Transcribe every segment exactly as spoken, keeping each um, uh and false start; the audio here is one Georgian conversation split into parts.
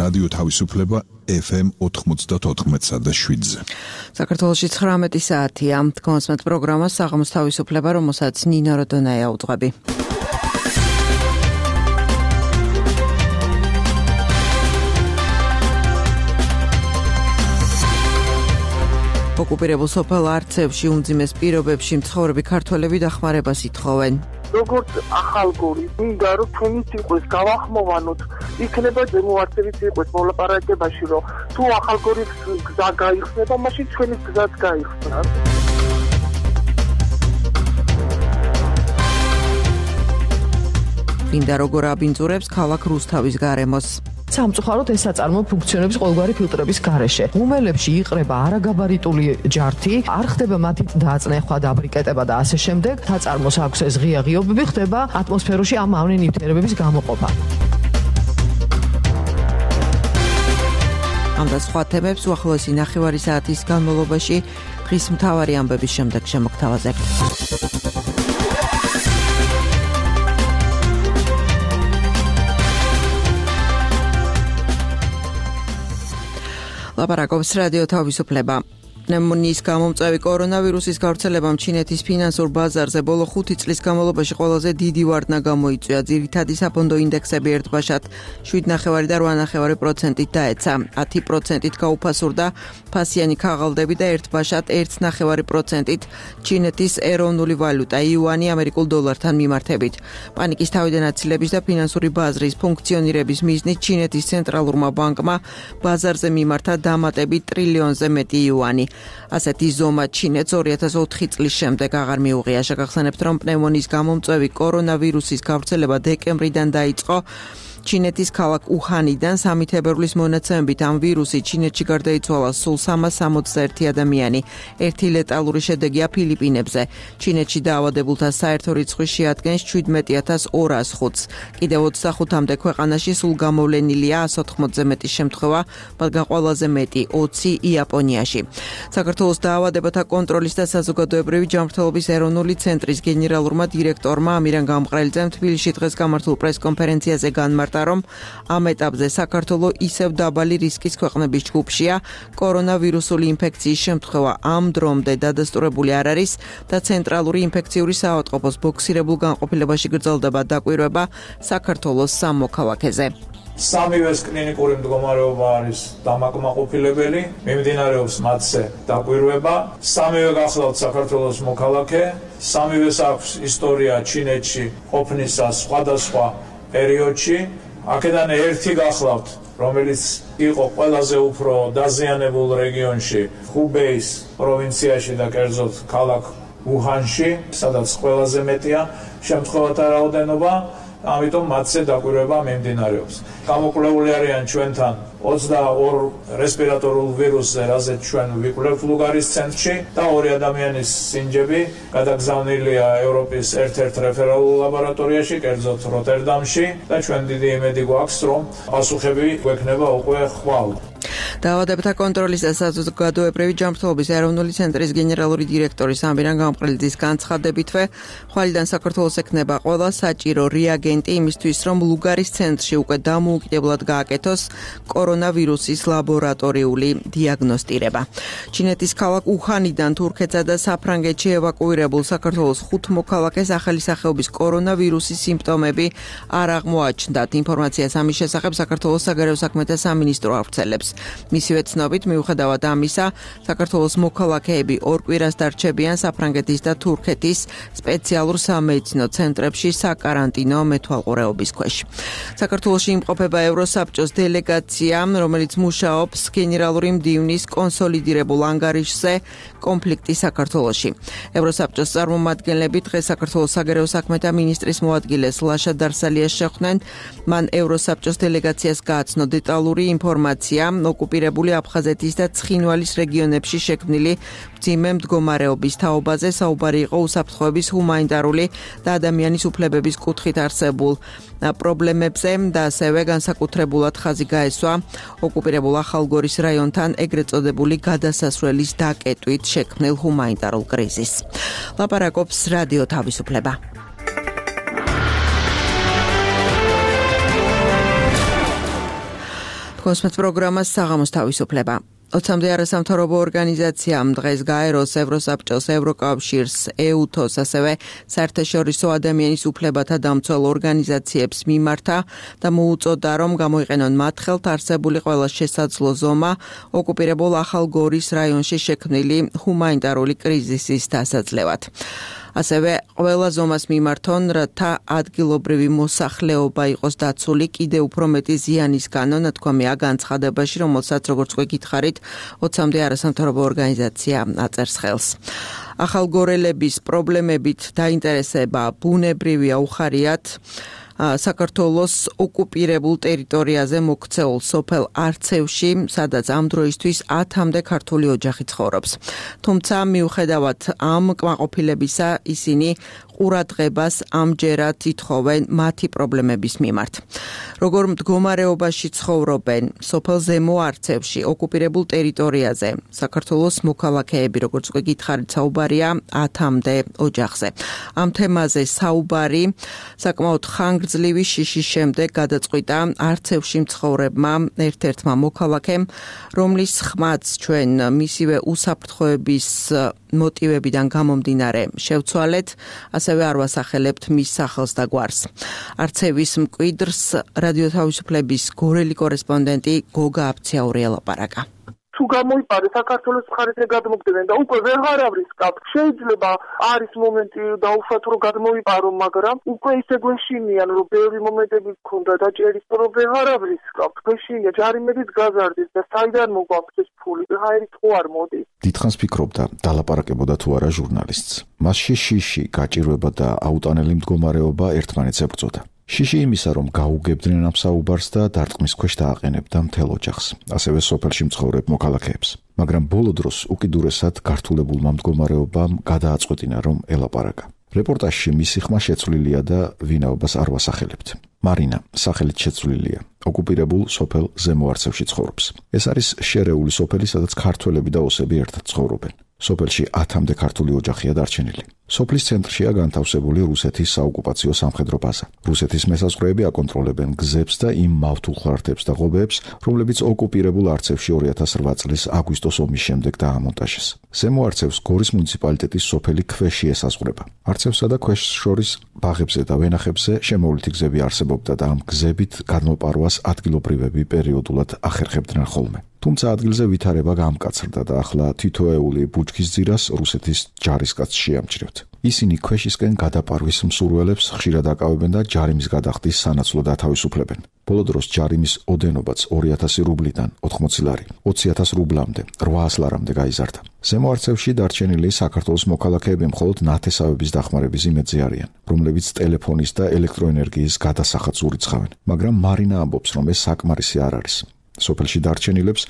რადიო თავისუფლება ეფ ემ ოთხმოცდაოთხ და შვიდზე. საქართველოში ცხრამეტი საათია. თქვენსმეთ პროგრამას საღამოს თავისუფლება, რომელსაც ნინო როდონაია უძღვები. ოკუპირებულ სოფელ არცევში უმძიმეს პირობებში მცხოვრები ქართველები დახმარებას ითხოვენ. როგორც ახალგორი, მინდა რომ თქვენიც იყოს გავახმოვანოთ, იქნება ზემო არცევიც იყოს მოლაპარაკებაში, რომ თუ ახალგორის გზა გაიხსნება, მაშინ თქვენიც გზაც გაიხსნა. მინდა როგორ აბინძურებს ქალაქ რუსთავის გარემოს. სამწუხაროდ ეს საწარმო ფუნქციონირებს ყოველგვარი ფილტრების გარეშე. ღუმელებში იყრება არაგაბარიტული ჯართი, არ ხდება მათი დაწნეხვა, დაბრიკეტება და ასე შემდეგ. საწარმოს აქვს ეს ღია ღიობები, ხდება ატმოსფეროში ამ ამნი ნივთიერებების გამოყოფა. ამ და სხვა თემებს უახლოესი ნახევარი საათის განმავლობაში დღის მთავარი ამბების შემდეგ შემოგთავაზებთ. ლაპარაკობს რადიო თავისუფლება. პნევმონიის გამომწვევი კორონავირუსის გავრცელებამ ჩინეთის ფინანსურ ბაზარზე ბოლო ხუთი წლის განმავლობაში ყველაზე დიდი ვარდნა გამოიწვია. ძირითადი საფონდო ინდექსები ერთბაშად შვიდ ნახევარი და რვა ნახევარი პროცენტით დაეცა. ათი პროცენტით გაუფასურდა ფასიანი ქაღალდები და ერთბაშად ერთ ნახევარი პროცენტით ჩინეთის ეროვნული ვალუტა იუანი ამერიკულ დოლართან მიმართებით. პანიკის თავიდან აცილების და ფინანსური ბაზრის ფუნქციონირების მიზნით ჩინეთის ცენტრალურმა ბანკმა ბაზარზე მიმართა დამატებით ტრილიონზე მეტი იუანი. ასეთი ზომა ჩინეთს ორი ათას ოთხი წლის შემდეგ აღარ მიუღია. შეგახსენებთ, რომ პნევმონიის გამომწვევი კორონავირუსის გავრცელება დეკემბრიდან დაიწყო. ჩინეთის ქალაქ უჰანიდან სამი თებერვლის მონაცემებით ამ ვირუსი ჩინეთში გარდაიცვალა სულ სამას სამოცდაერთი ადამიანი. ერთი ლეტალური შედეგია ფილიპინებზე. ჩინეთში დაავადებულთა საერთო რიცხვი შეადგენს შვიდმეტი ათას ორას ხუთს. კიდევ ოცდახუთამდე ქვეყანაში სულ გამოვლენილია ას ოთხმოცზე მეტი შემთხვევა, მათგან ყველაზე მეტი ოცი იაპონიაში. საქართველოს დაავადებათა კონტროლის და საზოგადოებრივი ჯანმრთელობის ეროვნული ცენტრის გენერალურმა დირექტორმა ამირან გამყრელიძემ თბილისში დღეს გამართულ პრეს-კონფერენციაზე განმარტა, რომ ამ ეტაპზე საქართველო ისევ დაბალი რისკის ქვეყნების ჯგუფშია. კორონავირუსული ინფექციის შემთხვევა ამ დრომდე დადასტურებული არ არის და ცენტრალური ინფექციური საავადმყოფოს ბოქსირებულ განყოფილებაში გრძელდება დაკვირვება საქართველოს სამ მოქალაქეზე. სამივეს კლინიკური მდგომარეობა არის დამაკმაყოფილებელი, მიმდინარეობს მათზე დაკვირვება. სამივე გახლავთ საქართველოს მოქალაქე, სამივეს აქვს ისტორია ჩინეთში ყოფნისას სხვადასხვა პერიოდში. აქედან ერთი გახლავთ, რომელიც იყო ყველაზე უფრო დაზიანებულ რეგიონში, ხუბეის პროვინციაში და კერძოდ ქალაქ უჰანში, სადაც ყველაზე მეტია შემთხვევათა რაოდენობა, ამიტომ მათზე დაკვირვება მიმდინარეობს. გამოკვლეული არიან ჩვენთან ოცდაორ რესპირატორულ ვირუსზე, რაზეც ჩვენ ვიკვლევთ ლუგარის ცენტრში და ორი ადამიანის სინჯები გადაგზავნილია ევროპის ერთ-ერთ რეფერალურ ლაბორატორიაში, კერძოდ როტერდამში და ჩვენ დიდი იმედი გვაქვს, რომ პასუხები გვექნება უკვე ხვალ. დაავადებათა კონტროლის და საზოგადოებრივი ჯანმრთელობის ეროვნული ცენტრის გენერალური დირექტორის ამირან გამყრელიძის განცხადებითვე, ხვალიდან საქართველოს ექნება ყველა საჭირო რეაგენტი იმისთვის, რომ ლუგარის ცენტრში უკვე დამოუკიდებლად გააკეთოს კორონავირუსის ლაბორატორიული დიაგნოსტირება. ჩინეთის ქალაქ უჰანიდან თურქეთსა და საფრანგეთში ევაკუირებულ საქართველოს ხუთ მოქალაქეს ახალი სახეობის კორონავირუსის სიმპტომები არ აღმოაჩნდათ. ინფორმაციას ამის შესახებ საქართველოს საგარეო საქმეთა სამინისტრო ავრცელებს. მისივე ცნობით, მიუხედავად ამისა, საქართველოს მოქალაქეები ორ კვირას დარჩებიან საფრანგეთის და თურქეთის სპეციალურ სამედიცინო ცენტრებში საკარანტინო მეთვალყურეობის ქვეშ. საქართველოში იმყოფება ევროსაბჭოს დელეგაცია, რომელიც მუშაობს გენერალური მდივნის კონსოლიდირებულ ანგარიშზე კონფლიქტი საქართველოში. ევროსაბჭოს წარმომადგენლები დღეს საქართველოს საგარეო საქმეთა მინისტრის მოადგილეს ლაშა დარსალიას შეხვდნენ. მან ევროსაბჭოს დელეგაციას გააცნო დეტალური ინფორმაცია ოკუპირებული აფხაზეთის და ცხინვალის რეგიონებში შექმნილი მძიმე მდგომარეობის თაობაზე. საუბარი იყო უსაფრთხოების, ჰუმანიტარული და ადამიანის უფლებების კუთხით არსებულ პრობლემებზე და ასევე განსაკუთრებულად ხაზი გაესვა ოკუპირებულ ახალგორის რაიონთან ეგრეთ წოდებული გადასასვლელის დაკეტვით შექმნილ ჰუმანიტარულ კრიზისს. ლაპარაკობს რადიო თავისუფლება. Kosmet პროგრამას საღამოს თავისუფლება. ოცამდე არასამთავრობო ორგანიზაციამ დღეს გაეროს, ევროსაბჭოს, ევროკავშირს, ეუთოს, ასევე საერთაშორისო ადამიანის უფლებათა დამცველ ორგანიზაციებს მიმართა და მოუწოდა, რომ გამოიყენონ მათ ხელთ არსებული ყველა შესაძლო ზომა ოკუპირებულ ახალ გორის რაიონში შექმნილი ჰუმანიტარული კრიზისის დასაძლევად. ასევე ყველა ზომას მიმართონ, რათა ადგილობრივი მოსახლეობა იყოს დაცული კიდევ უფრო მეტი ზიანისგანო, ნათქვამია განცხადებაში, რომელსაც როგორც უკვე გითხარით, ოცამდე არასამთავრობო ორგანიზაცია აწერს ხელს. ახალგორელების პრობლემებით დაინტერესება ბუნებრივია უხარიათ საქართველოს ოკუპირებულ ტერიტორიაზე მოქცეულ სოფელ არცევში, სადაც ამ დროისთვის ათამდე ქართული ოჯახი ცხოვრობს. თუმცა მიუხედავად ამ კმაყოფილებისა, ისინი ყურადღებას ამჯერად ითხოვენ მათი პრობლემების მიმართ. როგორ მდგომარეობაში ცხოვრობენ სოფელ ზემო არცევში, ოკუპირებულ ტერიტორიაზე, საქართველოს მოქალაქეები, როგორც უკვე გითხარით, საუბარია ათამდე ოჯახზე. ამ თემაზე საუბარი საკმაოდ ხანგრძლივი შიშის შემდეგ გადაწყვიტა არცევში მცხოვრებმა ერთ-ერთმა მოქალაქემ, რომლის ხმაც ჩვენ მისივე უსაფრთხოების მოტივებიდან გამომდინარე შევცვალეთ, ასევე არ ვასახელებთ მის სახელს და გვარს. არცევის მკვიდრს რადიო თავისუფლების გორელი კორესპონდენტი გოგა აფციაური ელაპარაკა. თუ გამოიპარე საქართველოს მხარეზე გადმოგდნენ და უკვე ვეღარავის კապ შეიძლება არის მომენტი დაუშვათ რომ გადმოიპარო, მაგრამ უკვე ისე გვეშინიან რომ ბევრი მომენტები გქონდა დაჭერის რომ ვეღარავის კაპ გვეშინია ჯარიმედით გაზარდის და საიდან მოგვაქვს ეს ფული ვეღაერით ხო არ მოდის. დიდხანს ფიქრობდა დალაპარაკებოდა თუ არა ჟურნალისტს. მასში შიში, გაჭირვება და აუტანელი მდგომარეობა ერთმანეთს ებრძოდა. შიში იმისა, რომ გაუგებდნენ ამ საუბარს და დარტყმის ქვეშ დააყენებდა მთელ ოჯახს, ასევე სოფელში მცხოვრებ მოქალაქეებს. მაგრამ ბოლო დროს უკიდურესად გართულებულმა მდგომარეობამ გადააწყვეტინა, რომ ელაპარაკა. რეპორტაჟში მისი ხმა შეცვლილია და ვინაობას არ ვასახელებთ. მარინა სახელით შეცვლილია. ოკუპირებულ სოფელ ზემო არცევში ცხოვრობს. ეს არის შერეული სოფელი, სადაც ქართველები და ოსები ერთად ცხოვრობენ. სოფელში ათამდე ქართული ოჯახია დარჩენილი. სოფლის ცენტრშია განთავსებული რუსეთის საოკუპაციო სამხედრო ბაზა. რუსეთის მესაზღვრეები აკონტროლებენ გზებს და იმ მავთულხარდებს და ღობეებს, რომლებიც ოკუპირებულ არცევში ორი ათას რვა წლის აგვისტოს ომის შემდეგ დაამონტაჟეს. ზემო არცევს გორის მუნიციპალიტეტის სოფელი ქვეში ესაზღვრება. არცევსა და ქვეშს შორის ბაღებზე და ვენახებზე შემოვლითი გზები არსებობდა და ამ გზებით გადმოპარვას ადგილობრივები პერიოდულად ახერხებდნენ ხოლმე. თუმცა ადგილზე ვითარება გამკაცრდა და ახლა თითოეული ბუჩქის ძირას რუსეთის ჯარისკაცს შეამჩნევთ. ისინი ქვეშისკენ გადაპარვის მსურველებს ხშირად აკავებენ და ჯარიმის გადახდის სანაცვლოდ ათავისუფლებენ. ბოლო დროს ჯარიმის ოდენობაც ორი ათასი რუბლიდან ოთხმოცი ლარი, ოცი ათას რუბლამდე, რვაას ლარამდე გაიზარდა. ზემო არცევში დარჩენილი საქართველოს მოქალაქეები მხოლოდ ნათესავების დახმარების იმედზე არიან, რომლებიც ტელეფონის და ელექტროენერგიის გადასახადს ურიცხავენ. მაგრამ მარინა ამბობს, რომ ეს საკმარისი არ არის. სოფელში დარჩენილებს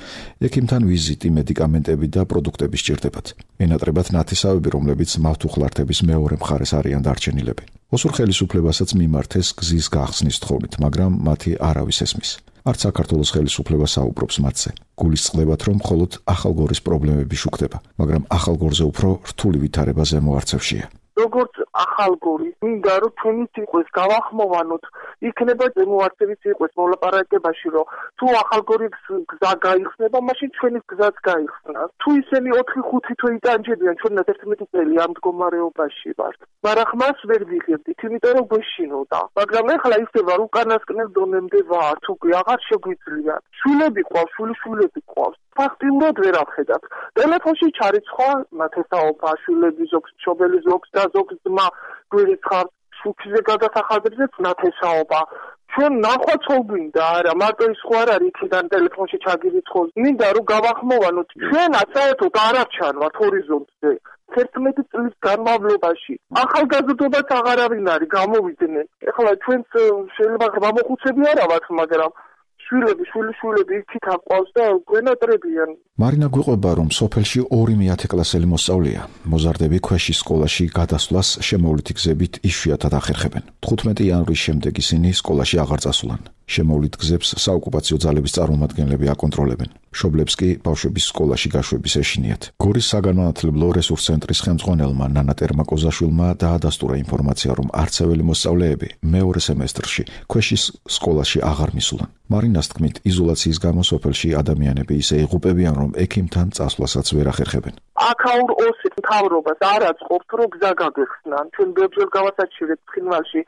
ექიმთან ვიზიტი, მედიკამენტები და პროდუქტები სჭირდებათ. ენატრებათ ნათესავები, რომლებიც მავთულხარდების მეორე მხარეს არიან დარჩენილები. ოსურ ხელისუფლებასაც მიმართეს გზის გახსნის თხოვნით, მაგრამ მათი არავის ესმის. არც საქართველოს ხელისუფლება საუბრობს მათზე. გულისწყდებათ, რომ მხოლოდ ახალგორის პრობლემები შუქდება, მაგრამ ახალგორზე უფრო რთული ვითარება ზემო არცევშია. როგორც ახალგორი, მინდა რომ ჩვენიც იყოს გავახმოვანოთ, იქნება ზემო არცევიც იყოს მოლაპარაკებაში, რომ თუ ახალგორის გზა გაიხსნება, მაშინ ჩვენი გზაც გაიხსნა. თუ ისინი ოთხი ხუთი თვე იტანჯებიან, ჩვენაც ერთმეტი წელი ამ მდგომარეობაში ვართ. მაგრამ ხმას ვერ ვიღებდით, იმიტომ რომ გვეშინოდა. მაგრამ ეხლა ისევა რომ უკანასკნელ დონემდე ვართ, უკვე აღარ შეგვიძლია. შვილები ყავს, შვილიშვილები ყავს. ფაქტიურად ვერ ავხედავთ. ტელეფონში ჩარიცხვა ნათესაობა, შვილები ზოგს, მშობელი ზოგს და ზოგს ძმა გვირიცხავს, შუქზე გადასახადებზეც ნათესაობა. ჩვენ ნახვაც გვინდა, არა, მარტო ის ხო არ არის იქიდან ტელეფონში ჩაგირიცხოს. მინდა რომ გავახმოვანოთ, ჩვენაც საერთოდ არ არჩანვათ ჰორიზონტზე. ერთმეტი წლის განმავლობაში ახალგაზრდობაც აღარავინ არის გამოვიდნენ. ეხლა ჩვენც შეიძლება გამოხუცები არა ვართ, მაგრამ შვილები, შვილიშვილები იქით აყვავს და გვენატრებიან. მარინა გვიყვება, რომ სოფელში ორი მეათეკლასელი მოსწავლეა. მოზარდები ქვეშის სკოლაში გადასვლას შემოვლითი გზებით იშვიათად ახერხებენ. თხუთმეტი იანვრის შემდეგ ისინი სკოლაში აღარ წასულან. შემოვლით გზებს საოკუპაციო ძალების წარმომადგენლები აკონტროლებენ. მშობლებს კი ბავშვების სკოლაში გაშვების ეშინიათ. გორის საგანმანათლებლო რესურს ცენტრის ხელმძღვანელმა ნანა ტერმაკოზაშვილმა დაადასტურა ინფორმაცია, რომ არცეველი მოსწავლეები მეორე სემესტრში ქვეშის სკოლაში აღარ მისულან. მარინას თქმით, იზოლაციის გამო სოფელში ადამიანები ისე იღუპებიან, რომ ექიმთან წასვლასაც ვერ ახერხებენ. აქაურ ოსის მთავრობას არ აწყობთ, რომ გზა გაგეხსნან. ჩვენ ბევრჯერ გავასაჩივრეთ ცხინვალში,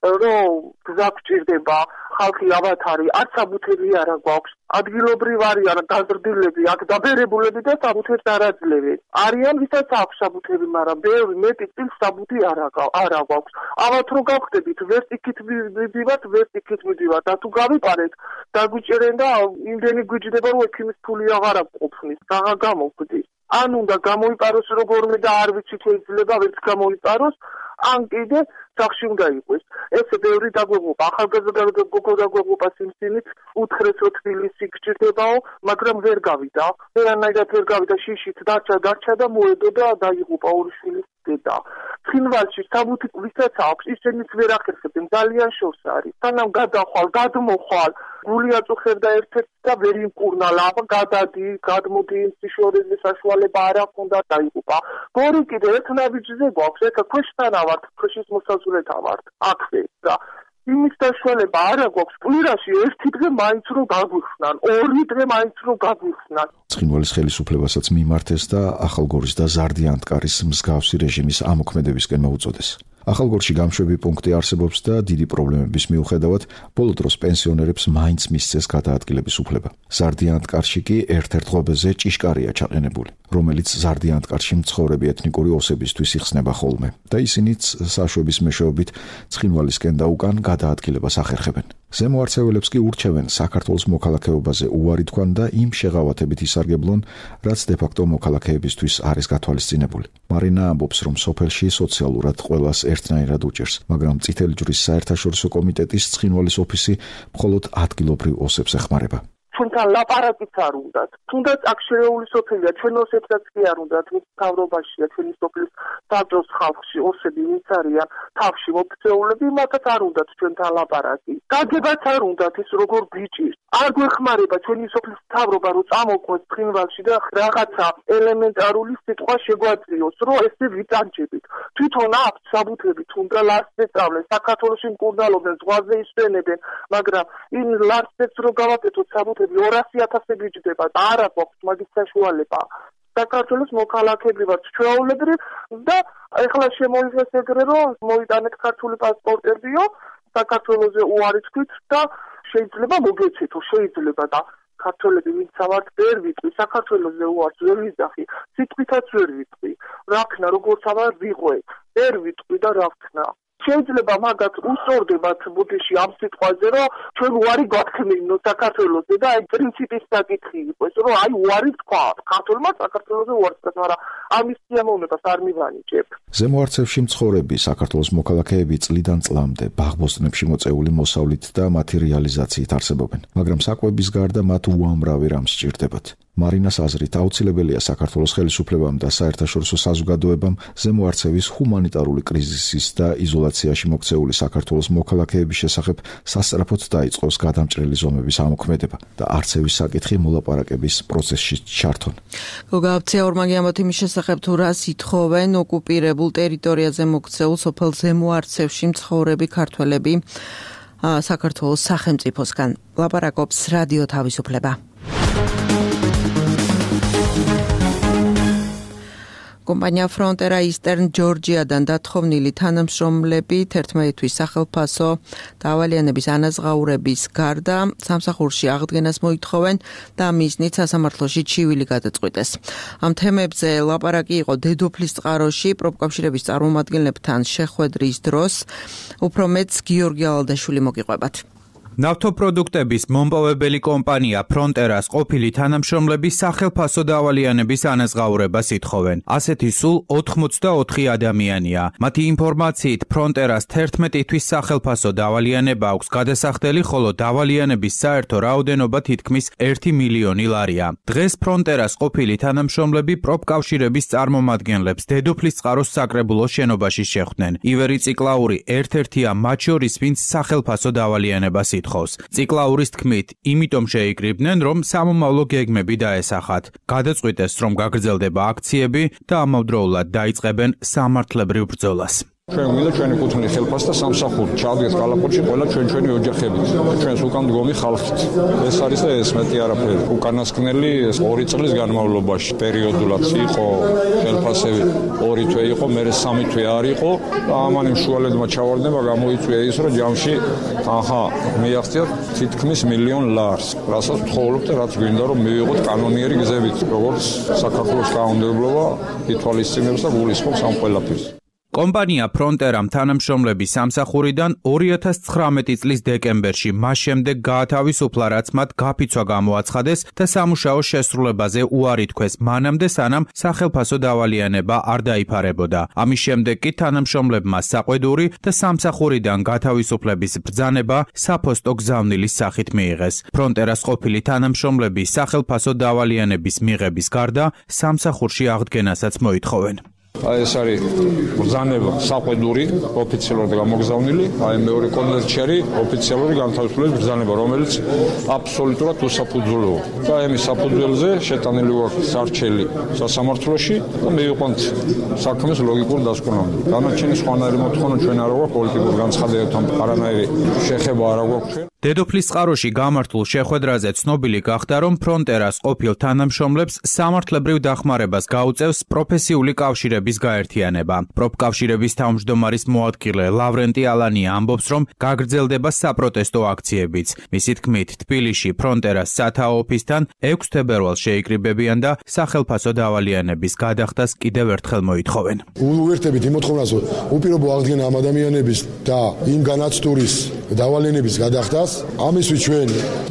რომ გზა გჭირდება, ხალხი ავათარი, არც საბუთები არა გვაქვს. ადგილობრივ არიან გაზრდილები, აქ დაბერებულები და საბუთებს არ აძლევენ. არიან ვისაც აქვს საბუთები, მაგრამ ბევრი მეტი წილ საბუთი არა არა გვაქვს. ავათ რო გავხდებით, ვერც იქით მივიდივართ, ვერც იქით მივიდივართ. და თუ გავიყარეთ, დაგვიჭერენ და იმდენი გვიჯდება, რომ ექიმის ფული აღარ ყოფნის. რაღა გამოვგდის. ან უნდა გამოიპაროს როგორმე და არ ვიცით შეიძლება ვერც გამოიპაროს, ან კიდე სახში უნდა იყოს. ესე ბევრი დაგვეღუპა, ახალგაზრდა გოგო დაგვეღუპა სიმსიმით, უთხრეს რომ თბილისი გჭირდებაო, მაგრამ ვერ გავიდა. ვერანაირად ვერ გავიდა, შიშით დარჩა, დარჩა და მოედო და დაიღუპა ორი შვილის დედა. ცხინვალში საბუთი ვისაც აქვს, ისინიც ვერ ახერხებენ, ძალიან შორს არის. სანამ გადახვალ, გადმოხვალ, გული აწუხებდა ერთ-ერთ და ვერ იმკურნალა, გადადი, გადმოდი, სიშორეზე საშუალება არ აქვს და დაიღუპა. გორი კიდე ერთ ნაბიჯზე გვაქვს, ეხლა ქვეშთანა ვართ, ქვეშის მოსაზღვრეთა ვართ, აქვე და იმის საშუალება არა გვაქვს, კვირაში ერთი დღე მაინც რომ გაგვიხსნან, ორი დღე მაინც რომ გაგვიხსნან. ცხინვალის ხელისუფლებასაც მიმართეს და ახალგორის და ზარდიანტკარის მსგავსი რეჟიმის ამოქმედებისკენ მოუწოდეს. ახალგორში გამშვები პუნქტი არსებობს და დიდი პრობლემების მიუხედავად ბოლო დროს პენსიონერებს მაინც მისცეს გადაადგილების უფლება. ზარდიანტკარში კი ერთ-ერთ ღობეზე ჭიშკარია ჩაყენებული, რომელიც ზარდიანტკარში მცხოვრები ეთნიკური ოსებისთვის იხსნება ხოლმე და ისინიც საშვების მეშვეობით ცხინვალისკენ და უკან გადაადგილებას ახერხებენ. ზემო არცეველებს კი ურჩევენ საქართველოს მოქალაქეობაზე უარი თქვან და იმ შეღავათებით ისარგებლონ, რაც დე-ფაქტო მოქალაქეებისთვის არის გათვალისწინებული. მარინა ამბობს, რომ სოფელში სოციალურად ყველას ერთნაირად უჭერს, მაგრამ წითელი ჯვრის საერთაშორისო კომიტეტის ცხინვალის ოფისი მხოლოდ ადგილობრივ ოსებს ეხმარება. ჩვენთან ლაპარაკიც არ უნდათ. თუნდაც აქ შერეული სოფელია, ჩვენ ოსებსაც კი არ უნდათ, მის მთავრობაშია ჩვენი სოფლის საბჭოს ხალხში ოსები ვინც არიან, თავში მოქცეულები, მათაც არ უნდათ ჩვენთან ლაპარაკი. გაგებაც არ უნდათ ის როგორ გვიჭირს. არ გვეხმარება ჩვენი სოფლის მთავრობა, რომ წამოყვეს ცხინვალში და რაღაცა ელემენტარული სიტყვა შეგვაძლიოს, რომ ესე ვიტანჯებით. თვითონ აქვს საბუთები, თუნდა ლარსზე სწავლენ, საქართველოში მკურნალობენ, ზღვაზე ისვენებენ, მაგრამ იმ ლარსებს რო გავაკეთოთ საბუთები ორასი ათასები იჯდება და არ აქვს მაგის საშუალება. საქართველოს მოქალაქეები ვართ ჩვეულებრივ და ეხლა შემოიღეს ეგრე რომ მოიტანეთ ქართული პასპორტებიო, საქართველოზე უარი თქვით და შეიძლება მოგეცეთო, შეიძლება და ქართველები ვინც ვართ ვერ ვიტყვი, საქართველოზე უარს ვერ ვიზახი, სიტყვითაც ვერ ვიტყვი. რა ქნა, როგორც ავარ ვიყვე, ვერ ვიტყვი და რა ქნა. შეიძლება მაგათ უსწორდებათ ბუდიში ამ სიტყვაზე, რომ ჩვენ უარი გვაქმნინო საქართველოზე და აი პრინციპის საკითხი იყოს, რომ აი უარი თქვა, ქართულმა საქართველოზე უარი თქვა, მაგრამ ამის სიამოვნებას არ მივანიჭებ. ზემო არცევში მცხოვრები საქართველოს მოქალაქეები წლიდან წლამდე ბაღბოსტნებში მოწეული მოსავლით და მათი რეალიზაციით არსებობენ, მაგრამ საკვების გარდა მათ უამრავი რამ სჭირდებათ. მარინას აზრით აუცილებელია საქართველოს ხელისუფლებამ და საერთაშორისო საზოგადოებამ ზემო არცევის ჰუმანიტარული კრიზისის და იზოლაციაში მოქცეული საქართველოს მოქალაქეების შესახებ სასწრაფოდ დაიწყოს გადამჭრელი ზომების ამოქმედება და არცევის საკითხი მოლაპარაკების პროცესში ჩართონ. გოგააფცია ორმაგი ამბობთ იმის შესახებ, თუ რას ითხოვენ ოკუპირებულ ტერიტორიაზე მოქცეულ სოფელ ზემო არცევში მცხოვრები ქართველები საქართველოს სახელმწიფოსგან. ლაპარაკობს რადიო თავისუფლება. კომპანია Frontera Eastern Georgia-დან დათხოვნილი თანამშრომლები თერთმეტი თვის სახელფასო დავალიანების ანაზღაურების გარდა სამსახურში აღდგენას მოითხოვენ და მიზნით სასამართლოში ჩივილი გადაწყვიტეს. ამ თემებზე ლაპარაკი იყო დედოფლის წყაროში პროფკავშირების წარმომადგენლებთან შეხვედრის დროს. უფრო მეტს გიორგი ალადაშვილი მოგიყვებათ. ნავთობპროდუქტების მომპოვებელი კომპანია Frontera-ს ყოფილი თანამშრომლები სახელფასო დავალიანების ანაზღაურებას ითხოვენ. ასეთი სულ ოთხმოცდაოთხი ადამიანია. მათი ინფორმაციით Frontera-ს თერთმეტი თვის სახელფასო დავალიანება აქვს გადასახდელი, ხოლო დავალიანების საერთო რაოდენობა თითქმის ერთი მილიონი ლარია. დღეს Frontera-ს ყოფილი თანამშრომლები პროფკავშირების წარმომადგენლებს დედოფლის წყაროს საკრებულოს შენობაში შეხვდნენ. ივერი ციკლაური ერთ-ერთია მათ შორის, ვინც სახელფასო დავალიანებას ითხოვს. მოითხოვს. ციკლაურის თქმით, იმიტომ შეიკრიბნენ, რომ სამომავლო გეგმები დაესახათ. გადაწყვიტეს, რომ გაგრძელდება აქციები და ამავდროულად დაიწყებენ სამართლებრივ ბრძოლას. ჩვენ გვინდა ჩვენი კუთვნილი ხელფასი და სამსახური ჩავდგეთ კალაპოტში ყველა ჩვენ ჩვენი ოჯახებით ჩვენს უკან მდგომი ხალხით. ეს არის და ეს მეტი არაფერი. უკანასკნელი ეს ორი წლის განმავლობაში პერიოდულად იყო ხელფასები ორი თვე იყო, მერე სამი თვე არ იყო და ამან იმ შუალებმა ჩავარდნება გამოიწვია ის, რომ ჯამში აჰა მიაღწიოთ თითქმის მილიონ ლარს. რასაც ვთხოვობთ და რაც გვინდა რომ მივიღოთ კანონიერი გზებით, როგორც საქართველოს კანონმდებლობა ითვალისწინებს და გულისხმობს ამ ყველაფერს. კომპანია ფრონტერამ თანამშრომლების სამსახურიდან ორი ათას ცხრამეტი წლის დეკემბერში მას შემდეგ გაათავისუფლა, რაც მათ გაფიცვა გამოაცხადეს და სამუშაო შესრულებაზე უარი თქვეს, მანამდე სანამ სახელფასო დავალიანება არ დაიფარებოდა. ამის შემდეგ კი თანამშრომლებმა საყვედური და სამსახურიდან გათავისუფლების ბრძანება საფოსტო გზავნილის სახით მიიღეს. ფრონტერას ყოფილი თანამშრომლები სახელფასო დავალიანების მიღების გარდა სამსახურში აღდგენასაც მოითხოვენ. აი ეს არის ბრძანება საყვედური ოფიციალურად გამოგზავნილი, აი მეორე კონვერტში არის ოფიციალური განთავისუფლების ბრძანება, რომელიც აბსოლუტურად უსაფუძველოა. და ამის საფუძველზე შეტანილი ვართ სარჩელი სასამართლოში და მივიყვანთ საქმეს ლოგიკურ დასკვნამდე. განაჩენი სხვანაირი მოთხოვნა ჩვენ არ გვაქვს პოლიტიკურ განცხადებებთან, არანაირი შეხება არ გვაქვს ჩვენ. დედოფლის წყაროში გამართულ შეხვედრაზე ცნობილი გახდა, რომ ფრონტერას ყოფილ თანამშრომლებს სამართლებრივ დახმარებას გაუწევს პროფესიული კავშირების გაერთიანება. პროფკავშირების თავმჯდომარის მოადგილე ლავრენტი ალანია ამბობს, რომ გაგრძელდება საპროტესტო აქციებიც. მისი თქმით, თბილისში ფრონტერას სათაო ოფისთან ექვსი თებერვალს შეიკრიბებიან და სახელფასო დავალიანების გადახდას კიდევ ერთხელ მოითხოვენ. უერთებით იმ მოთხოვნას, უპირობო აღდგენა ამ ადამიანების და იმ განაცდურის დავალიანების გადახდას. ამისთვის ჩვენ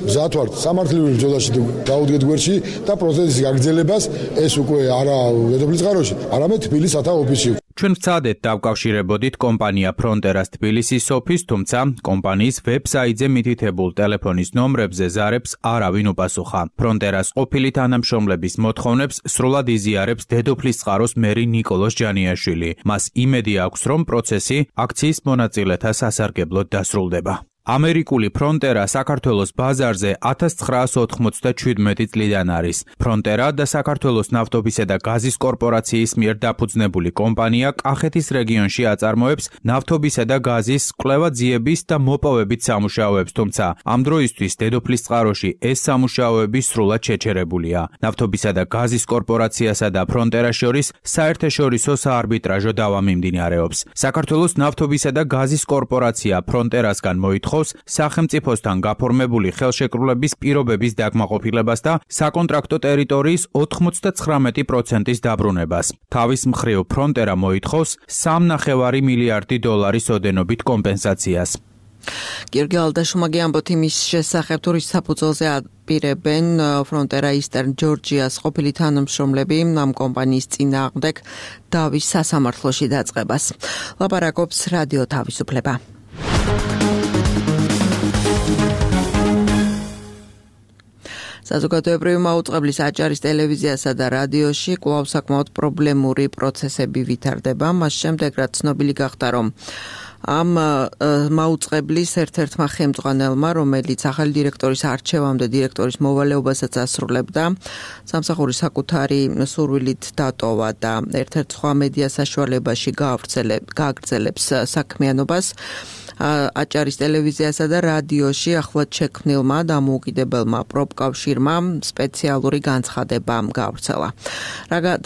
მზად ვართ სამართლებრივ ბრძოლაში დავუდგეთ გვერდში და პროცესის გაგრძელებას, ეს უკვე არა დედოფლის წყაროში, არამედ თბილისის სათაო ოფისში. ჩვენ ვცადეთ დავკავშირებოდით კომპანია ფრონტერას თბილისის ოფისს, თუმცა კომპანიის ვებსაიტზე მითითებულ ტელეფონის ნომრებზე ზარებს არავინ უპასუხა. ფრონტერას ყოფილი თანამშრომლების მოთხოვნებს სრულად იზიარებს დედოფლის წყაროს მერი ნიკოლოზ ჯანიაშვილი. მას იმედი აქვს, რომ პროცესი აქციის მონაწილეთა სასარგებლოდ დასრულდება. ამერიკული ფრონტერა საქართველოს ბაზარზე ათას ცხრაას ოთხმოცდაჩვიდმეტი წლიდან არის. ფრონტერა და საქართველოს ნავთობისა და გაზის კორპორაციის მიერ დაფუძნებული კომპანია კახეთის რეგიონში აწარმოებს ნავთობისა და გაზის კვლევა-ძიების და მოპოვებით სამუშაოებს, თუმცა ამ დროისთვის დედოფლის წყაროში ეს სამუშაოები სრულად შეჩერებულია. ნავთობისა და გაზის კორპორაციასა და ფრონტერას შორის საერთაშორისო საარბიტრაჟო დავა მიმდინარეობს. საქართველოს ნავთობისა და გაზის კორპორაცია ფრონტერასგან მოითხოვს სახელმწიფოსთან გაფორმებული ხელშეკრულების პირობების დაკმაყოფილებას და საკონტრაქტო ტერიტორიის ოთხმოცდაცხრამეტი პროცენტის დაბრუნებას. თავის მხრივ ფრონტერა მოითხოვს სამი და ნახევარი მილიარდი დოლარის ოდენობით კომპენსაციას. გიორგი ალდაშუმაგი ამბობთ იმის შესახებ, თუ რის საფუძველზე აპირებენ ფრონტერა ისტერნ ჯორჯიას ყოფილი თანამშრომლები ამ კომპანიის წინააღმდეგ დავის სასამართლოში დაწყებას. ლაპარაკობს რადიო თავისუფლება. საზოგადოებრივი მაუწყებლის აჭარის ტელევიზიასა და რადიოში კვლავ საკმაოდ პრობლემური პროცესები ვითარდება. მას შემდეგ, რაც ცნობილი გახდა, რომ ამ მაუწყებლის ერთ-ერთმა ხელმძღვანელმა, რომელიც ახალი დირექტორის არჩევამდე დირექტორის მოვალეობასაც ასრულებდა, სამსახურის საკუთარი სურვილით დატოვა და ერთ-ერთ სხვა მედია საშუალებაში გააგრძელებს საქმიანობას. აჭარის ტელევიზიასა და რადიოში ახლად შექმნილმა დამოუკიდებელმა პროფკავშირმა სპეციალური განცხადება გავრცელა.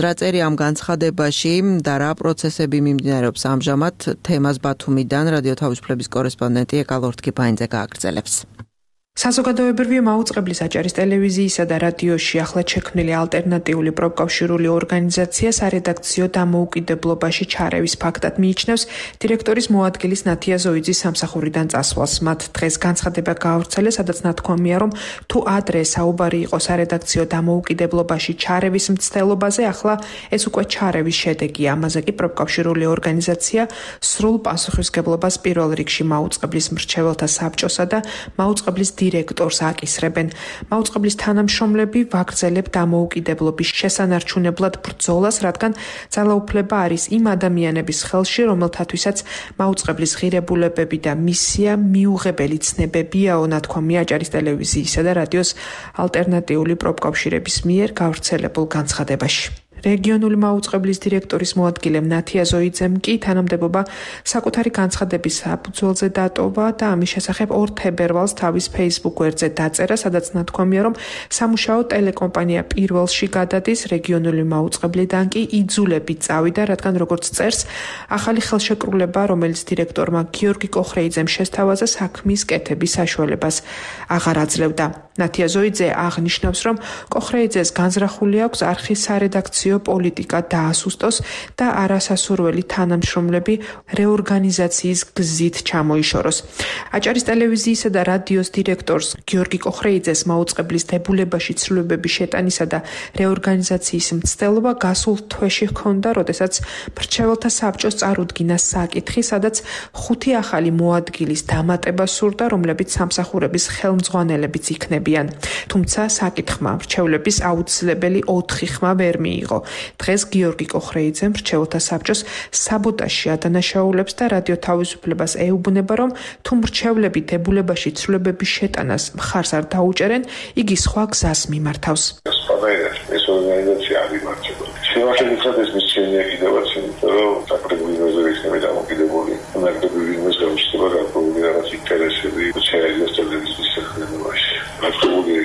რა წერია ამ განცხადებაში და რა პროცესები მიმდინარეობს ამჟამად, თემას ბათუმიდან რადიო თავისუფლების კორესპონდენტი ეკალორთკი ფაინძე გააგრძელებს. საზოგადოებრივი მაუწყებლის აჭარის ტელევიზიისა და რადიოში ახლად შექმნილი ალტერნატიული პროფკავშირული ორგანიზაცია სარედაქციო დამოუკიდებლობაში ჩარევის ფაქტად მიიჩნევს დირექტორის მოადგილის ნათია ზოიძის სამსახურიდან წასვლას. მათ დღეს განცხადება გაავრცელეს, სადაც ნათქვამია, რომ თუ ადრე საუბარი იყო სარედაქციო დამოუკიდებლობაში ჩარევის მცდელობაზე, ახლა ეს უკვე ჩარევის შედეგია. ამაზე კი პროფკავშირული ორგანიზაცია სრულ პასუხისგებლობას პირველ რიგში მაუწყებლის მრჩეველთა საბჭოსა და მაუწყებლის დირექტორს აკისრებენ. მაუწყებლის თანამშრომლები ვაგრძელებთ დამოუკიდებლობის შესანარჩუნებლად ბრძოლას, რადგან ძალაუფლება არის იმ ადამიანების ხელში, რომელთათვისაც მაუწყებლის ღირებულებები და მისია მიუღებელი ცნებებიაო, ნათქვამია აჭარის ტელევიზიისა და რადიოს ალტერნატიული პროფკავშირების მიერ გავრცელებულ განცხადებაში. რეგიონული მაუწყებლის დირექტორის მოადგილე ნათია ზოიძემ კი თანამდებობა საკუთარი განცხადების საფუძველზე დატოვა და ამის შესახებ ორ თებერვალს თავის Facebook გვერდზე დაწერა, სადაც ნათქვამია, რომ სამუშაო ტელეკომპანია პირველში გადადის, რეგიონული მაუწყებლიდან კი იძულებით წავიდა, რადგან როგორც წერს, ახალი ხელშეკრულება, რომელიც დირექტორმა გიორგი კოხრეიძემ შესთავაზა, საქმის კეთების საშუალებას აღარ აძლევდა. ნათია ზოიძე აღნიშნავს, რომ კოხრეიძეს განზრახული აქვს არხის სარედაქციო პოლიტიკა დაასუსტოს და არასასურველი თანამშრომლები რეორგანიზაციის გზით ჩამოიშოროს. აჭარის ტელევიზიისა და რადიოს დირექტორს გიორგი კოხრეიძეს მაუწყებლის დებულებაში ცვლილებების შეტანისა და რეორგანიზაციის მცდელობა გასულ თვეში ჰქონდა, როდესაც მრჩეველთა საბჭოს წარუდგინა საკითხი, სადაც ხუთი ახალი მოადგილის დამატება სურდა, რომლებიც სამსახურების ხელმძღვანელებიც იქნებიან. თუმცა საკითხმა მრჩევლების აუცილებელი ოთხი ხმა ვერ მიიღო. დღეს გიორგი კოხრეიძე მრჩეველთა საბჭოს საბოტაჟში ადანაშაულებს და რადიო თავისუფლებას ეუბნება, რომ თუ მრჩევლები დებულებაში ცვლილებების შეტანას მხარს არ დაუჭერენ, იგი სხვა გზას მიმართავს. ეს ორგანიზაცია არ იმართება. შემოშენიხრად ეს მისცემია კიდევაც, იმიტომ რომ საკრებულო რეზერვისტები დამოკიდებული, ნაკრები ვინმეს გამიშტება გარკვეული რაღაც ინტერესები შეეძლოს ტელევიზიის სახელმწიფოში. ნაკრებული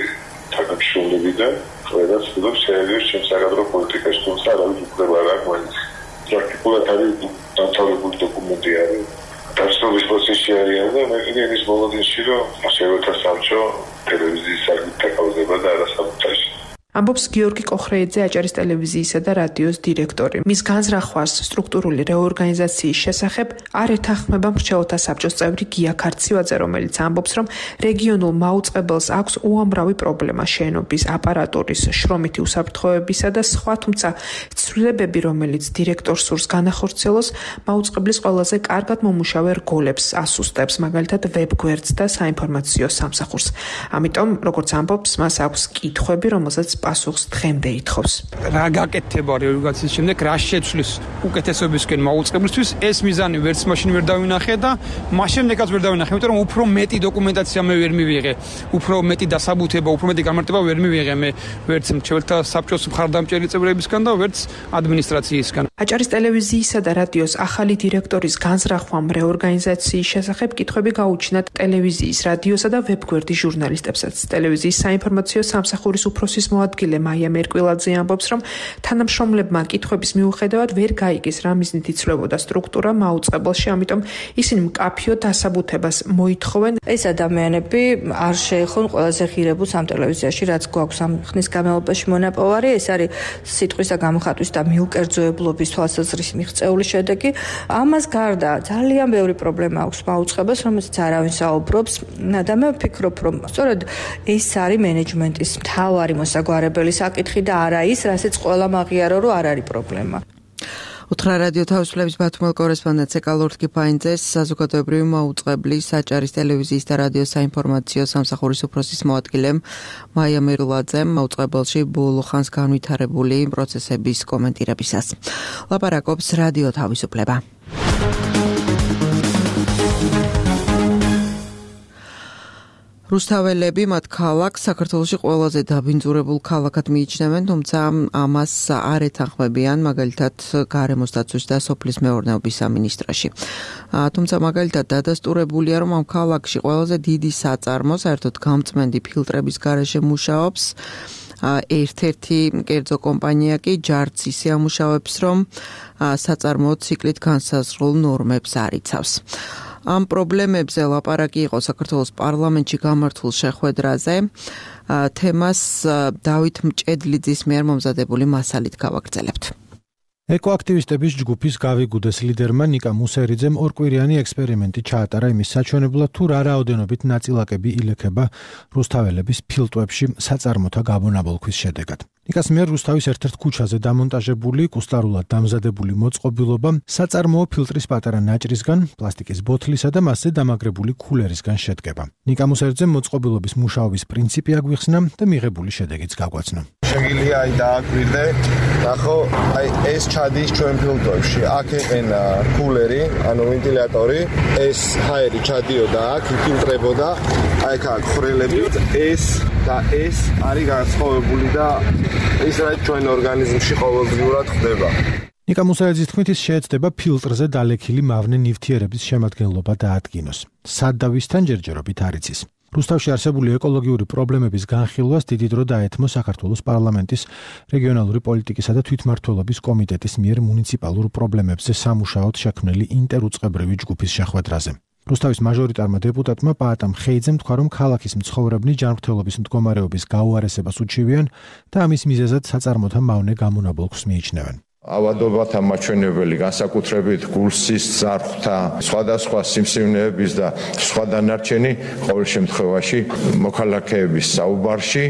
თანამშრომლები და ყველას ცდილობს შეეძლოს ჩემს საკადრო პოლიტიკაში, თუმცა არავის უფლება არ აქვს მაინც. პრაქტიკულად არის დამთავრებული დოკუმენტი არის. დასწრების პროცესში არიან და მე კიდე ის მოლოდინში, რომ მშევეთა საბჭო ტელევიზიის საკითხი დაკავდება და არა საბუთაში. ამბობს გიორგი კოხრეიძე, აჭარის ტელევიზიისა და რადიოს დირექტორი. მის განზრახვას სტრუქტურული რეორგანიზაციის შესახებ არ ეთანხმება მრჩეველთა საბჭოს წევრი გია ქარცივაძე, რომელიც ამბობს, რომ რეგიონულ მაუწყებელს აქვს უამრავი პრობლემა შენობის, აპარატურის, შრომითი უსაფრთხოებისა და სხვა, თუმცა ცვლილებები, რომელიც დირექტორს სურს განახორციელოს, მაუწყებლის ყველაზე კარგად მომუშავე რგოლებს ასუსტებს, მაგალითად ვებგვერდს და საინფორმაციო სამსახურს. ამიტომ, როგორც ამბობს, მას აქვს კითხვები, რომელსაც პასუხს დღემდე ითხოვს. რა გაკეთება რეორგანიზაციის შემდეგ, რა შეცვლის უკეთესობისკენ მაუწყებლისთვის, ეს მიზანი ვერც მაშინ ვერ დავინახე და მას შემდეგაც ვერ დავინახე, იმიტომ რომ უფრო მეტი დოკუმენტაცია მე ვერ მივიღე, უფრო მეტი დასაბუთება, უფრო მეტი გამარტება ვერ მივიღე მე ვერც მრჩეველთა საბჭოს მხარდამჭერი წევრებისგან და ვერც ადმინისტრაციისგან. აჭარის ტელევიზიისა და რადიოს ახალი დირექტორის განზრახვამ რეორგანიზაციის შესახებ კითხვები გაუჩინათ ტელევიზიის, რადიოსა და ვებგვერდის ჟურნალისტებსაც. ტელევიზიის საინფორმაციო სამსახურის უფროსის მოადგილე მაია მერკვილაძე ამბობს, რომ თანამშრომლებმა კითხვების მიუხედავად ვერ გაიგეს რა მიზნით იცვლებოდა სტრუქტურა მაუწყებელში, ამიტომ ისინი მკაფიო დასაბუთებას მოითხოვენ. ეს ადამიანები არ შეეხონ ყველაზე ღირებულს ამ ტელევიზიაში, რაც გვაქვს ამ ხნის განმავლობაში მონაპოვარი, ეს არის სიტყვისა გამოხატვის და მიუკერძოებლობის თვალსაზრისით მიღწეული შედეგი. ამას გარდა ძალიან ბევრი პრობლემა აქვს მაუწყებელს, რომელსაც არავინ საუბრობს და მე ვფიქრობ, რომ სწორედ ეს არის მენეჯმენტის მთავარი მოსაგვარებელი საკითხი და არა ის, რასაც ყველა მაღიარო, რომ არ არის პრობლემა. უთხრა რადიო თავისუფლების ბათუმელ კორესპონდენტ ეკალორთ კიფაინძეს, საზოგადოებრივი მაუწყებლის, აჭარის ტელევიზიის და რადიოს საინფორმაციო სამსახურის უფროსის მოადგილემ მაია მერულაძემ მაუწყებელში ბოლო ხანს განვითარებული პროცესების კომენტირებისას. ლაპარაკობს რადიო თავისუფლება. რუსთაველები მათ ქალაქს საქართველოში ყველაზე დაბინძურებულ ქალაქად მიიჩნევენ, თუმცა ამას არ ეთანხმებიან მაგალითად გარემოს დაცვის და სოფლის მეურნეობის სამინისტროში. თუმცა მაგალითად დადასტურებულია, რომ ამ ქალაქში ყველაზე დიდი საწარმო საერთოდ გამწმენდი ფილტრების გარეშე მუშაობს. ერთ-ერთი კერძო კომპანია კი ჯარც ისე ამუშავებს, რომ საწარმო ციკლით განსაზღვრულ ნორმებს არ იცავს. ამ პრობლემებზე ლაპარაკი იყო საქართველოს პარლამენტში გამართულ შეხვედრაზე. თემას დავით მჭედლიძის მიერ მომზადებული მასალით გავაგრძელებთ. ეკოაქტივისტების ჯგუფის გავიგუდეს ლიდერმა ნიკა მუსერიძემ ორკვირიანი ექსპერიმენტი ჩაატარა იმის საჩვენებლად, თუ რა რაოდენობით ნაწილაკები ილექება რუსთაველების ფილტვებში საწარმოთა გაბონაბოლქვის შედეგად. ნიკას მიერ რუსთავის ერთ-ერთ ქუჩაზე დამონტაჟებული კუსტარულად დამზადებული მოწყობილობა საწარმოო ფილტრის პატარა ნაჭრისგან, პლასტიკის ბოთლისა და მასზე დამაგრებული ქულერისგან შედგება. ნიკა მუსერიძემ მოწყობილობის მუშაობის პრინციპი აგვიხსნა და მიღებული შედეგიც გაგვაცნო. Შეგვიძლია აი დააკვირდე, ნახო, აი ეს ჩადის ჩვენ ფილტვებში. აქ ეყენა ქულერი, ანუ ვენტილატორი, ეს ჰაერი ჩადიოდა აქ, იფილტრებოდა, აი აქ ხრელები, ეს და ეს არის განსხვავებული და ის რაც ჩვენ ორგანიზმში ყოველდღიურად ხდება. ნიკა მუსერიძის თქმით, ის შეეცდება ფილტრზე დალექილი მავნე ნივთიერების შემადგენლობა დაადგინოს. სად და ვისთან ჯერჯერობით არ იცის. რუსთავში არსებული ეკოლოგიური პრობლემების განხილვას დიდი დრო დაეთმო საქართველოს პარლამენტის რეგიონალური პოლიტიკისა და თვითმმართველობის კომიტეტის მიერ მუნიციპალურ პრობლემებზე სამუშაოდ შექმნილი ინტერუწყებრივი ჯგუფის შეხვედრაზე. რუსთავის მაჟორიტარმა დეპუტატმა პაატამ ხეიძემ თქვა, რომ ქალაქის მცხოვრებნი ჯანმრთელობის მდგომარეობის გაუარესებას უჩივიან და ამის მიზეზად საწარმოთა მავნე გამონაბოლქვს მიიჩნევენ. ავადობათა მაჩვენებელი, განსაკუთრებით გულსის ზარხვთა, სხვადასხვა სიმსივნეების და სხვა დანარჩენი ყოველ შემთხვევაში მოქალაქეების საუბარში,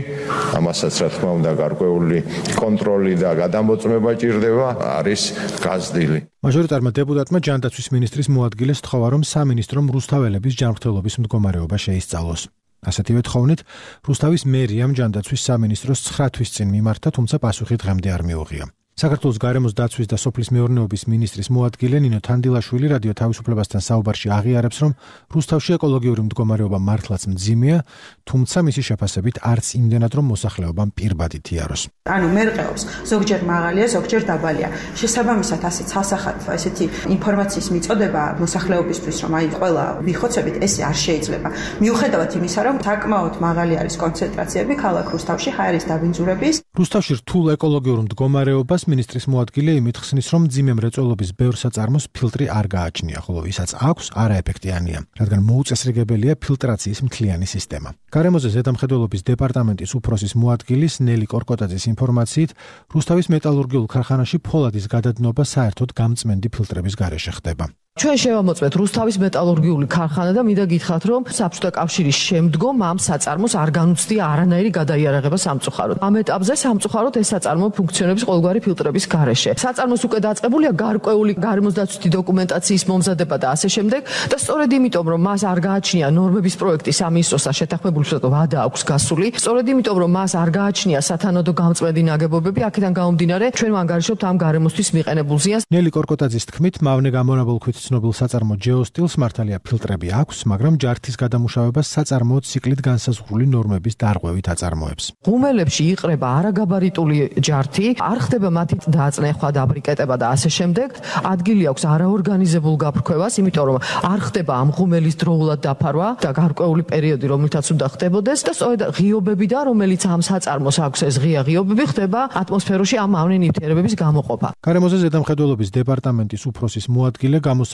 ამასაც რა თქმა უნდა გარკვეული კონტროლი და გადამოწმება ჭირდება, არის გაზრდილი. მაჟორიტარმა დეპუტატმა ჯანდაცვის მინისტრის მოადგილეს სთხოვა, რომ სამინისტრომ რუსთაველების ჯანმრთელობის მდგომარეობა შეისწავლოს. ასეთივე თხოვნით, რუსთავის მერიამ ჯანდაცვის სამინისტროს ცხრა თვის წინ მიმართა, თუმცა პასუხი დღემდე არ მიუღია. საქართველოს გარემოს დაცვის და სოფლის მეურნეობის მინისტრის მოადგილე ნინო თანდილაშვილი რადიო თავისუფლებასთან საუბარში აღიარებს, რომ რუსთავში ეკოლოგიური მდგომარეობა მართლაც მძიმეა, თუმცა მისი შეფასებით არც იმდენად, რომ მოსახლეობამ პირბადით იაროს. ანუ მერყეობს, ზოგჯერ მაღალია, ზოგჯერ დაბალია. შესაბამისად, ასეთ სასახად ესეთი ინფორმაციის მიწოდება მოსახლეობისთვის, რომ აი ყველა ვიხოცებით, ეს არ შეიძლება. მიუხედავად იმისა, რომ საკმაოდ მაღალი არის კონცენტრაციები ქალაქ რუსთავში ჰაერის დაბინძურების. რუსთავში რთულ ეკოლოგიურ მდგომარეობას მინისტრის მოადგილე იმით ხსნის, რომ მძიმე მრეწველობის ბევრ საწარმოს ფილტრი არ გააჩნია, ხოლო ვისაც აქვს, არაეფექტიანია, რადგან მოუწესრიგებელია ფილტრაციის მთლიანი სისტემა. გარემოზე ზედამხედველობის დეპარტამენტის უფროსის მოადგილის ნელი კორკოტაძის ინფორმაციით, რუსთავის მეტალურგიულ ქარხანაში ფოლადის გადადნობა საერთოდ გამწმენდი ფილტრების გარეშე ხდება. ჩვენ შევამოწმეთ რუსთავის მეტალურგიული ქარხანა და მინდა გითხრათ, რომ საბჭოთა კავშირის შემდგომ ამ საწარმოს არ განუცდია არანაირი გადაიარაღება სამწუხაროდ. ამ ეტაპზე სამწუხაროდ ეს საწარმო ფუნქციონებს ყოველგვარი ფილტრების გარეშე. საწარმოს უკვე დაწყებულია გარკვეული გარემოს დაცვითი დოკუმენტაციის მომზადება და ასე შემდეგ და სწორედ იმიტომ, რომ მას არ გააჩნია ნორმების პროექტი სამინისტროსთან შეთანხმებული ვადა აქვს გასული, სწორედ იმიტომ, რომ მას არ გააჩნია სათანადო გამწმენდი ნაგებობები, აქედან გამომდინარე, ჩვენ ვანგარიშობთ ამ გარემოსთვის მიყენებულ ზიანს. ნელი კორკოტაძის თქმით, მავნე გამონაბოლქვით ცნობილ საწარმო ჯეოსტილს მართალია ფილტრები აქვს, მაგრამ ჯართის გადამუშავებას საწარმოო ციკლით განსაზღვრული ნორმების დარღვევით აწარმოებს. ღუმელებში იყრება არაგაბარიტული ჯართი, არ ხდება მათი დააწნეხვა და ბრიკეტება და ასე შემდეგ. ადგილი აქვს არაორგანიზებულ გაფრქვევას, იმიტომ რომ არ ხდება ამ ღუმელის დროულად დაფარვა და გარკვეული პერიოდი, რომლითაც უნდა ხდებოდეს და სწორედ ღიობებიდან, რომელიც ამ საწარმოს აქვს ეს ღია ღიობები, ხდება ატმოსფეროში ამ მავნე ნივთიერებების გამოყოფა. გარემოზე ზედამხედველობის დეპარტამენტის უფროსის მოადგილე გამოსავალს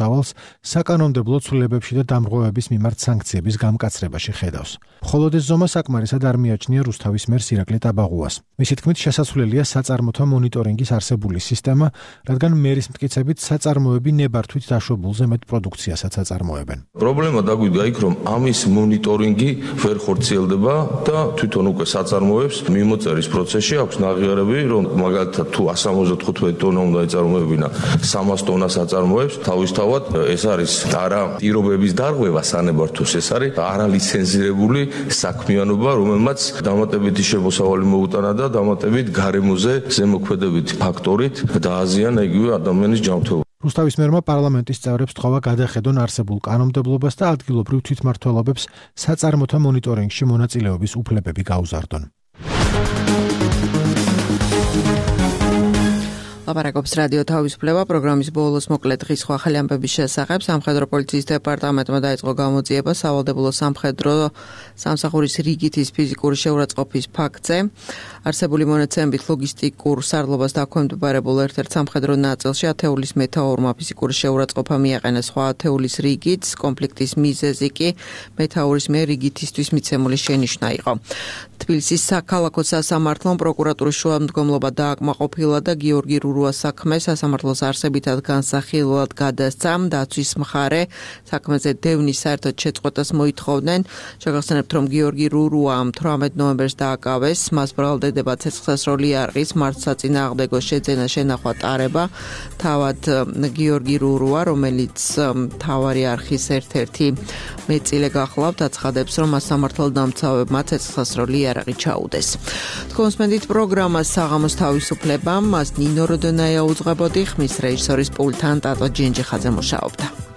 საკანონმდებლო ცვლილებებში და დამრღვევების მიმართ სანქციების გამკაცრებაში ხედავს. მხოლოდ ეს ზომა საკმარისად არ მიაჩნია რუსთავის მერს ირაკლი ტაბაღუას. მისი თქმით, შესაძლებელია საწარმოთა მონიტორინგის არსებული სისტემა, რადგან მერის მტკიცებით საწარმოები ნებართვით დაშვებულზე მეტ პროდუქციასაც აწარმოებენ. პრობლემა დაგვიდგა იქ, რომ ამის მონიტორინგი ვერ ხორციელდება და თვითონ უკვე საწარმოებს მიმოწერის პროცესში აქვს ნაღიარები, რომ მაგალითად თუ εκατს სამოცდათხუთმეტი ტონა უნდა ეწარმოებინა სამას ტონას აწარმოებს, თავისთავად ეს არის არა პირობების დარღვევა სანებართვოს, ეს არის არალიცენზირებული საქმიანობა, რომელმაც დამატებითი შემოსავალი მოუტანა და დამატებით გარემოზე ზემოქმედებითი ფაქტორით დააზიანა იგივე ადამიანის ჯანმრთელობა. რუსთავის მერმა პარლამენტის წევრებს სთხოვა გადახედონ არსებულ კანონმდებლობას და ადგილობრივ თვითმმართველობებს საწარმოთა მონიტორინგში მონაწილეობის უფლებები გაუზარდონ. ლაპარაკობს რადიო თავისუფლება პროგრამის ბოლოს მოკლე დღის სხვა ახალი ამბების შესახებ. სამხედრო პოლიციის დეპარტამენტმა დაიწყო გამოძიება სავალდებულო სამხედრო სამსახურის რიგითის ფიზიკური შეურაცხყოფის ფაქტზე. არსებული მონაცემებით ლოგისტიკურ სარდლობას დაქვემდებარებულ ერთ-ერთ სამხედრო ნაწილში ათეულის მეთაურმა ფიზიკური შეურაცხყოფა მიაყენა სხვა ათეულის რიგით, კონფლიქტის მიზეზი კი მეთაურის მიერ რიგითისთვის მიცემული შენიშვნა იყო. თბილისის საქალაქო სასამართლომ პროკურატურის შუამდგომლობა დააკმაყოფილა და გიორგი რურუას საქმე სასამართლოს არსებითად განსახილველად გადასცა. დაცვის მხარე საქმეზე დევნის საერთოდ შეწყვეტას მოითხოვდნენ. შეგახსენებთ, რომ გიორგი რურუა თვრამეტ ნოემბერს დააკავეს, მას ბრალდებება ცეცხლსასროლი იარაღის მართლსაწინააღმდეგო შეძენა შენახვა ტარება. თავად გიორგი რურუა, რომელიც მთავარი არხის ერთ-ერთი მეწილე გახლავთ, აცხადებს, რომ მას სამართალდამცავებმა ცეცხლსასროლი იარაღი ჩაუდეს. თქვენს მენდით პროგრამას საღამოს თავისუფლება, მას ნინო როდონაია უძღვებოდი, ხმის რეჟისორის პულტთან ტატო ჯენჯიხაძე მუშაობდა.